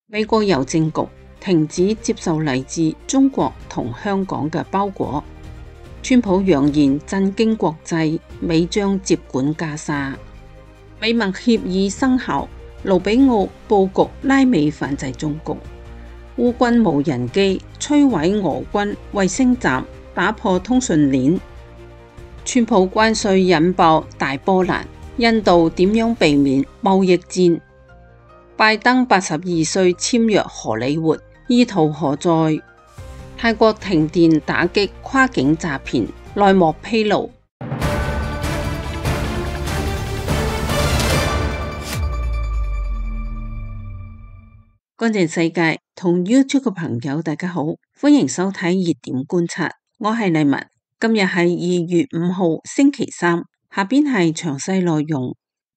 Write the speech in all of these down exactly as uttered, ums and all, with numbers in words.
美國郵政局停止接受嚟自中國同香港嘅包裹。川普揚言震驚國際，美將接管加沙。美墨協議生效，盧比奧佈局拉美反制中國。烏軍無人機摧毀俄軍衛星站，打破通訊鏈。川普關稅引爆大波瀾，印度點樣避免貿易戰？拜登八十二歲簽約荷里活，意圖何在？泰國停電打擊跨境詐騙，內幕披露。乾淨世界同 YouTube 嘅朋友大家好，歡迎收睇熱點觀察，我係麗文。今日係二月五號星期三，下邊係詳細內容。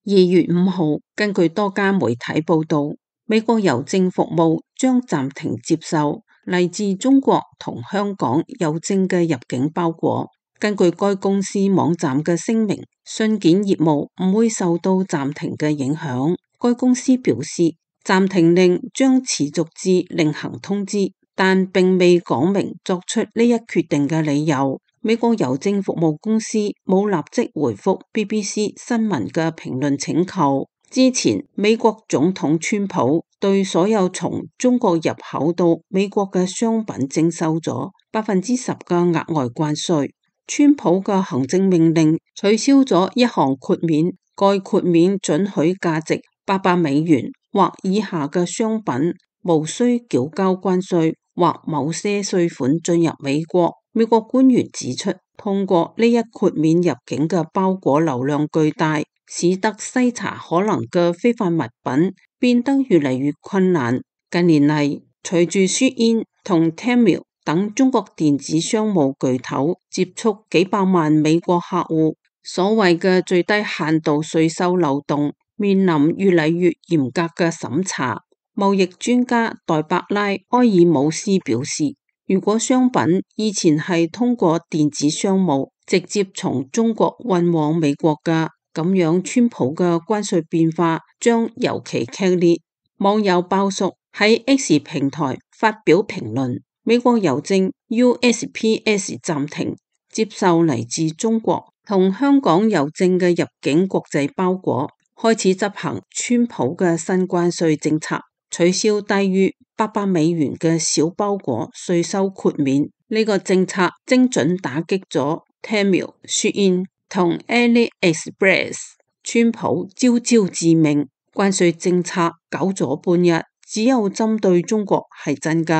二月五號，根據多家媒體報道，美國郵政服務將暫停接受嚟自中國同香港郵政嘅入境包裹。根據該公司網站嘅聲明，信件業務唔會受到暫停嘅影響。該公司表示，暫停令將持續至另行通知，但並未講明作出呢一決定嘅理由。美國郵政服務公司冇立即回覆 B B C 新聞嘅評論請求。之前，美國總統川普對所有從中國入口到美國嘅商品徵收咗百分之十嘅額外關稅。川普嘅行政命令取消咗一項豁免，該豁免准許價值八百美元或以下嘅商品無需繳交關稅或某些稅款進入美國。美國官員指出，通過呢一豁免入境嘅包裹流量巨大，使得篩查可能嘅非法物品變得越嚟越困難。近年嚟，隨住 Shein 同 Temu 等中國電子商務巨頭接觸幾百萬美國客戶，所謂嘅最低限度稅收漏洞面臨越嚟越嚴格嘅審查。貿易專家代伯拉埃爾姆斯表示，如果商品以前係通過電子商務直接從中國運往美國嘅，咁樣川普嘅關稅變化將尤其劇烈。網友爆叔喺 X 平台發表評論，美國郵政 U S P S 暫停接受嚟自中國同香港郵政嘅入境國際包裹，開始執行川普嘅新關稅政策，取消低於八百美元嘅小包裹稅收豁免。呢、這個政策精準打擊咗 Temu、Shein 同 AliExpress。川普招招致命，關稅政策搞咗半日，只有針對中國係真㗎。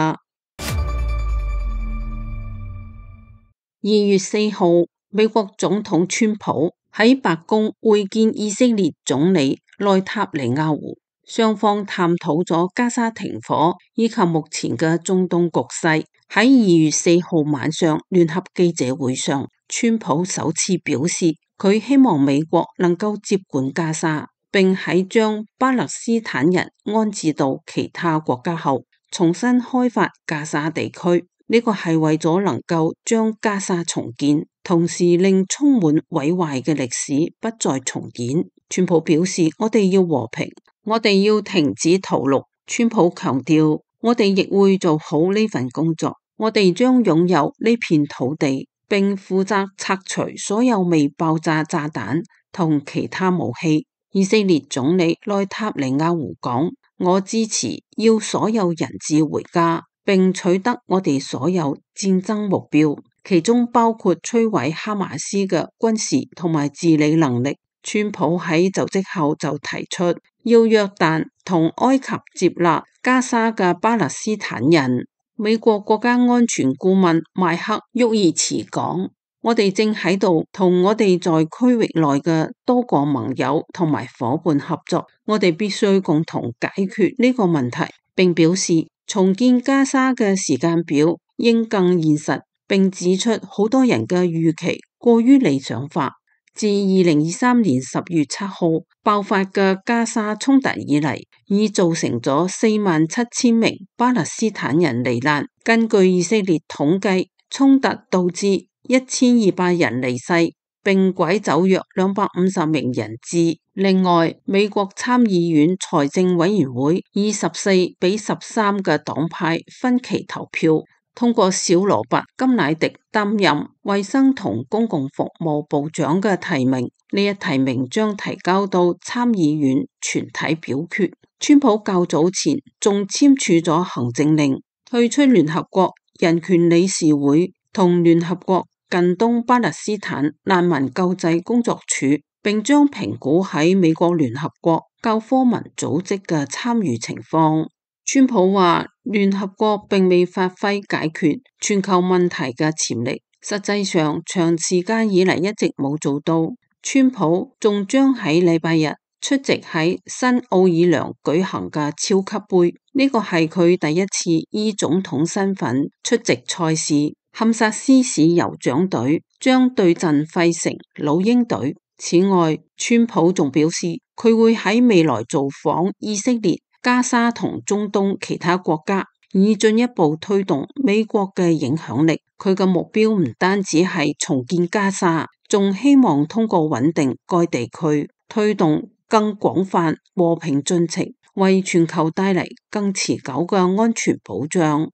二月四號，美國總統川普喺白宮會見以色列總理內塔尼亞胡。雙方探討咗加沙停火以及目前嘅中東局勢。喺二月四號晚上聯合記者會上，川普首次表示佢希望美國能夠接管加沙，並喺將巴勒斯坦人安置到其他國家後，重新開發加沙地區。呢個係為咗能夠將加沙重建，同時令充滿毀壞嘅歷史不再重演。川普表示，我哋要和平，我哋要停止屠戮。川普強調，我哋亦會做好呢份工作，我哋將擁有呢片土地，並負責拆除所有未爆炸炸彈同其他武器。以色列總理內塔尼亞胡講，我支持要所有人質回家，並取得我哋所有戰爭目標，其中包括摧毀哈馬斯嘅軍事同埋治理能力。川普喺就職後就提出要約旦同埃及接納加沙嘅巴勒斯坦人。美國國家安全顧問邁克沃爾茨講，我哋正喺度同我哋在區域內嘅多個盟友同埋夥伴合作，我哋必須共同解決呢個問題，並表示重建加沙嘅時間表應更現實，並指出好多人嘅預期過於理想化。自二零二三年十月七號爆發嘅加沙衝突以嚟，已造成咗四萬七千名巴勒斯坦人罹難。根據以色列統計，衝突導致一千二百人離世，並拐走約兩百五十名人質。另外，美國參議院財政委員會以十四比十三嘅黨派分歧投票，通過小羅伯·甘迺迪擔任衛生同公共服務部長嘅提名。呢一提名將提交到參議院全體表決。川普較早前仲簽署咗行政令，退出聯合國人權理事會同聯合國近東巴勒斯坦難民救濟工作處，並將評估喺美國聯合國教科文組織嘅參與情況。川普話聯合國並未發揮解決全球問題嘅潛力，實際上長時間以嚟一直冇做到。川普仲將喺禮拜日出席喺新奧爾良舉行嘅超級盃，呢個係佢第一次以總統身份出席賽事。堪薩斯市酋長隊將對陣費城老鷹隊。此外，川普仲表示佢會喺未來造訪以色列、加沙同中東其他國家，以進一步推動美國嘅影響力。佢嘅目標唔單止係重建加沙，仲希望通過穩定該地區，推動更廣泛和平進程，為全球帶嚟更持久嘅安全保障。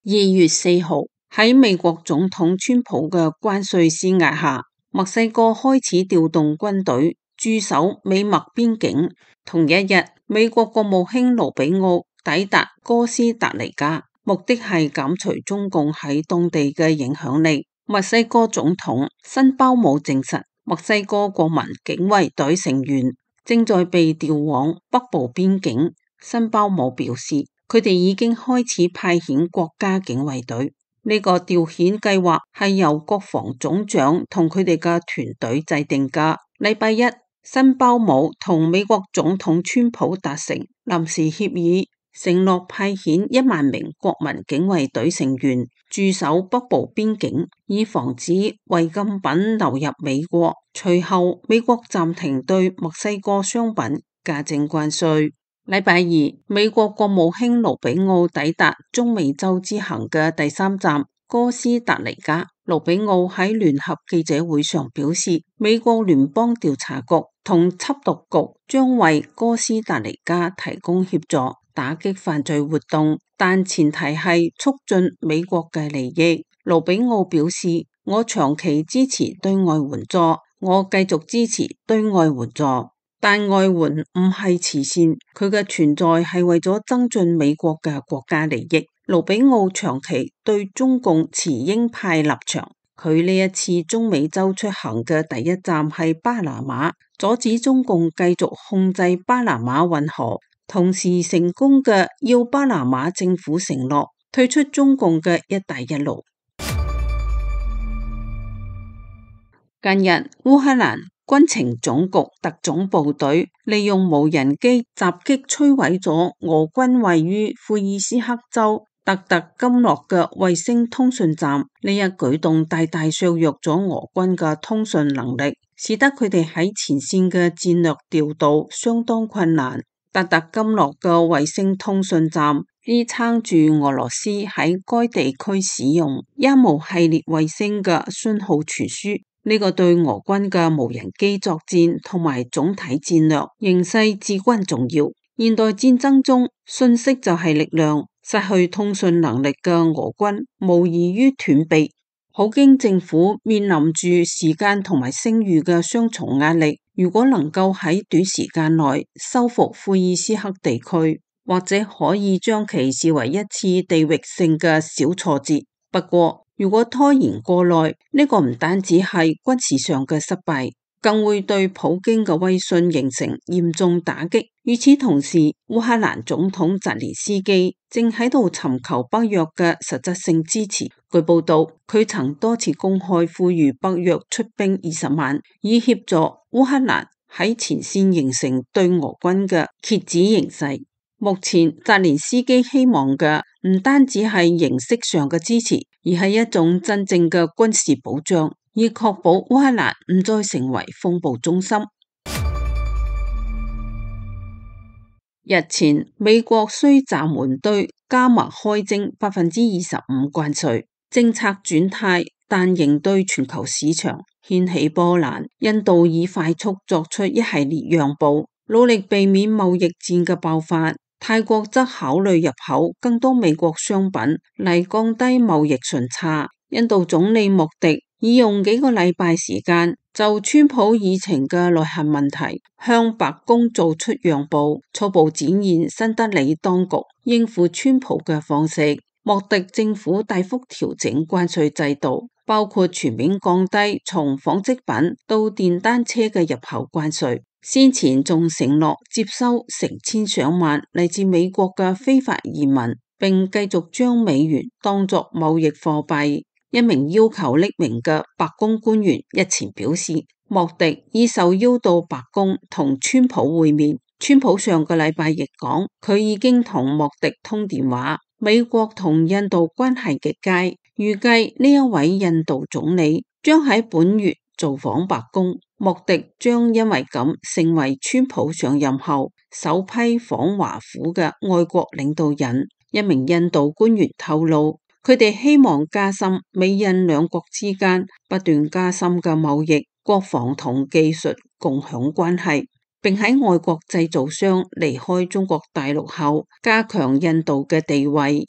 二月四號，喺美國總統川普嘅關稅施壓下，墨西哥開始調動軍隊駐守美墨邊境。同一日，美國國務卿盧比奧抵達哥斯達黎加，目的係減除中共喺當地嘅影響力。墨西哥總統辛鮑姆證實，墨西哥國民警衛隊成員正在被調往北部邊境。辛鮑姆表示，佢哋已經開始派遣國家警衛隊。呢個調遣計劃係由國防總長同佢哋嘅團隊制定㗎。禮拜一，辛鮑姆同美國總統川普達成臨時協議，承諾派遣一萬名國民警衛隊成員駐守北部邊境，以防止違禁品流入美國。隨後，美國暫停對墨西哥商品加徵關稅。禮拜二，美國國務卿盧比奧抵達中美洲之行嘅第三站哥斯達黎加。盧比奧喺聯合記者會上表示，美國聯邦調查局同緝毒局將為哥斯達黎加提供協助，打擊犯罪活動，但前提係促進美國嘅利益。盧比奧表示，我長期支持對外援助，我繼續支持對外援助。但外援唔係慈善，佢嘅存在係為咗增進美國嘅國家利益。盧比奧長期對中共持鷹派立場，佢呢一次中美洲出行嘅第一站係巴拿馬，阻止中共繼續控制巴拿馬運河，同時成功嘅要巴拿馬政府承諾退出中共嘅一帶一路。近日，烏克蘭軍情總局特種部隊利用無人機襲擊摧毀咗俄軍位於庫爾斯克州特特金諾嘅衛星通訊站。呢一舉動大大削弱咗俄軍嘅通訊能力，使得佢哋喺前線嘅戰略調度相當困難。特特金諾嘅衛星通訊站支撐住俄羅斯喺該地區使用一模系列衛星嘅信號傳輸。呢個對俄軍嘅無人機作戰同埋總體戰略形勢至關重要。現代戰爭中，信息就係力量，失去通訊能力嘅俄軍無異於斷臂。普京政府面臨住時間同埋聲譽嘅雙重壓力。如果能夠喺短時間內收復庫爾斯克地區，或者可以將其視為一次地域性嘅小挫折。不過，如果拖延過耐，呢個唔單止係軍事上嘅失敗，更會對普京嘅威信形成嚴重打擊。與此同時，烏克蘭總統澤連斯基正喺度尋求北約嘅實質性支持。據報道，佢曾多次公開呼籲北約出兵二十萬，以協助烏克蘭喺前線形成對俄軍嘅遏止形勢。目前，澤連斯基希望嘅唔單止係形式上嘅支持，而係一種真正嘅軍事保障，以確保烏克蘭唔再成為風暴中心。日前，美國需暫緩對加墨開徵百分之二十五關稅，政策轉態，但仍對全球市場掀起波瀾。印度已快速作出一系列讓步，努力避免貿易戰嘅爆發。泰國則考慮入口更多美國商品嚟降低貿易順差。印度總理莫迪已用幾個禮拜時間就川普議程嘅內涵問題向白宮做出讓步，初步展現新德里當局應付川普嘅方式。莫迪政府大幅調整關稅制度，包括全面降低從紡織品到電單車嘅入口關稅。先前仲承諾接收成千上萬嚟自美國嘅非法移民，並繼續將美元當作貿易貨幣。一名要求匿名嘅白宮官員日前表示，莫迪已受邀到白宮同川普會面。川普上個禮拜亦講，佢已經同莫迪通電話。美國同印度關係極佳，預計呢一位印度總理將喺本月造訪白宮。莫迪將因為咁成為川普上任後首批訪華府嘅外國領導人。一名印度官員透露，佢哋希望加深美印兩國之間不斷加深嘅貿易、國防同技術共享關係，並喺外國製造商離開中國大陸後加強印度嘅地位。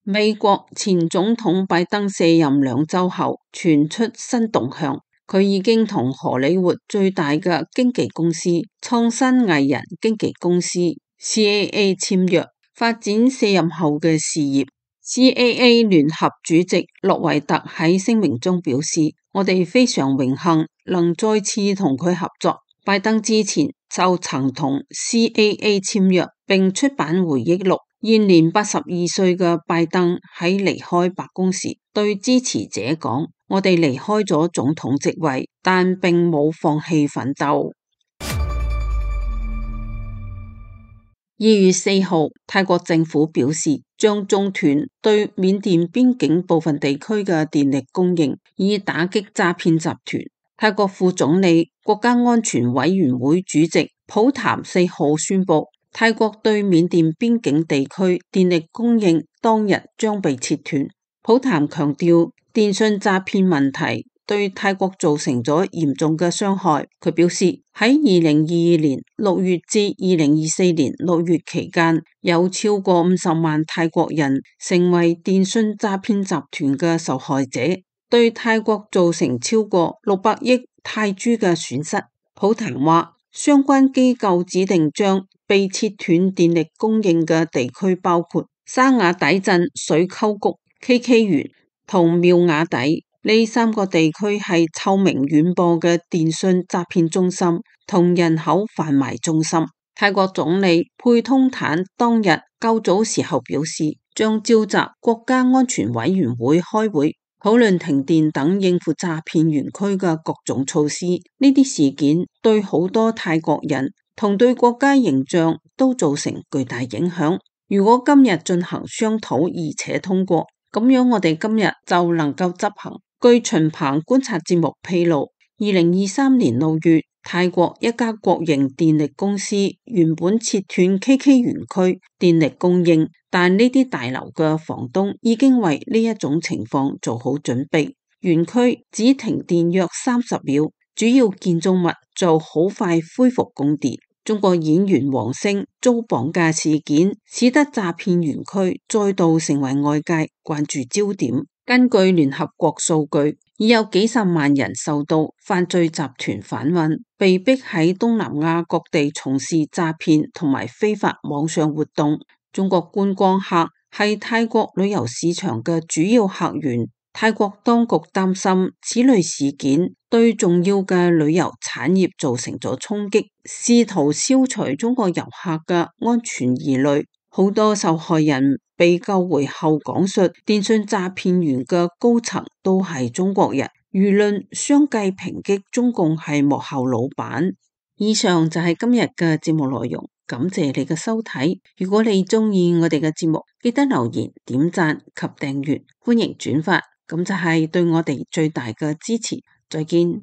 美國前總統拜登卸任兩週後傳出新動向，佢已經同荷里活最大嘅經紀公司創新藝人經紀公司 C A A 簽約，發展卸任後嘅事業。C A A 聯合主席洛維特喺聲明中表示，我哋非常榮幸能再次同佢合作。拜登之前就曾同 C A A 簽約，並出版回憶錄。現年八十二歲嘅拜登喺離開白宮時對支持者講，我哋離開咗總統職位，但並冇放棄奮鬥。二月四號，泰國政府表示將中斷對緬甸邊境部分地區嘅電力供應，以打擊詐騙集團。泰國副總理、國家安全委員會主席普譚四號宣布，泰國對緬甸邊境地區電力供應當日將被切斷。普譚強調，電信詐騙問題對泰國造成咗嚴重嘅傷害。佢表示，喺二零二二年六月至二零二四年六月期間，有超過五十萬泰國人成為電信詐騙集團嘅受害者，對泰國造成超過六百億泰銖嘅損失。普譚話，相關機構指定將被切斷電力供應嘅地區包括沙雅底鎮水溝谷、K K 園同妙瓦底。呢三個地區係臭名遠播嘅電信詐騙中心同人口販賣中心。泰國總理佩通坦當日較早時候表示，將召集國家安全委員會開會，討論停電等應付詐騙園區嘅各種措施。呢啲事件對好多泰國人同對國家形象都造成巨大影響。如果今日進行商討而且通過，咁樣我哋今日就能夠執行。據秦鵬觀察節目披露，二零二三年六月，泰國一家國營電力公司原本切斷 K K 園區電力供應，但呢啲大樓嘅房東已經為呢一種情況做好準備。園區只停電約三十秒，主要建築物就好快恢復供電。中國演員王星遭綁架事件，使得詐騙園區再度成為外界關注焦點。根據聯合國數據，已有幾十萬人受到犯罪集團販運，被逼喺東南亞各地從事詐騙同埋非法網上活動。中國觀光客係泰國旅遊市場嘅主要客源。泰國當局擔心此類事件對重要嘅旅遊產業造成咗衝擊，試圖消除中國遊客嘅安全疑慮。好多受害人被救回後講述，電信詐騙員嘅高層都係中國人，輿論相繼抨擊中共係幕後老闆。以上就係今日嘅節目內容，感謝你嘅收睇。如果你中意我哋嘅節目，記得留言、點讚及訂閱，歡迎轉發，咁就係對我哋最大嘅支持。再見。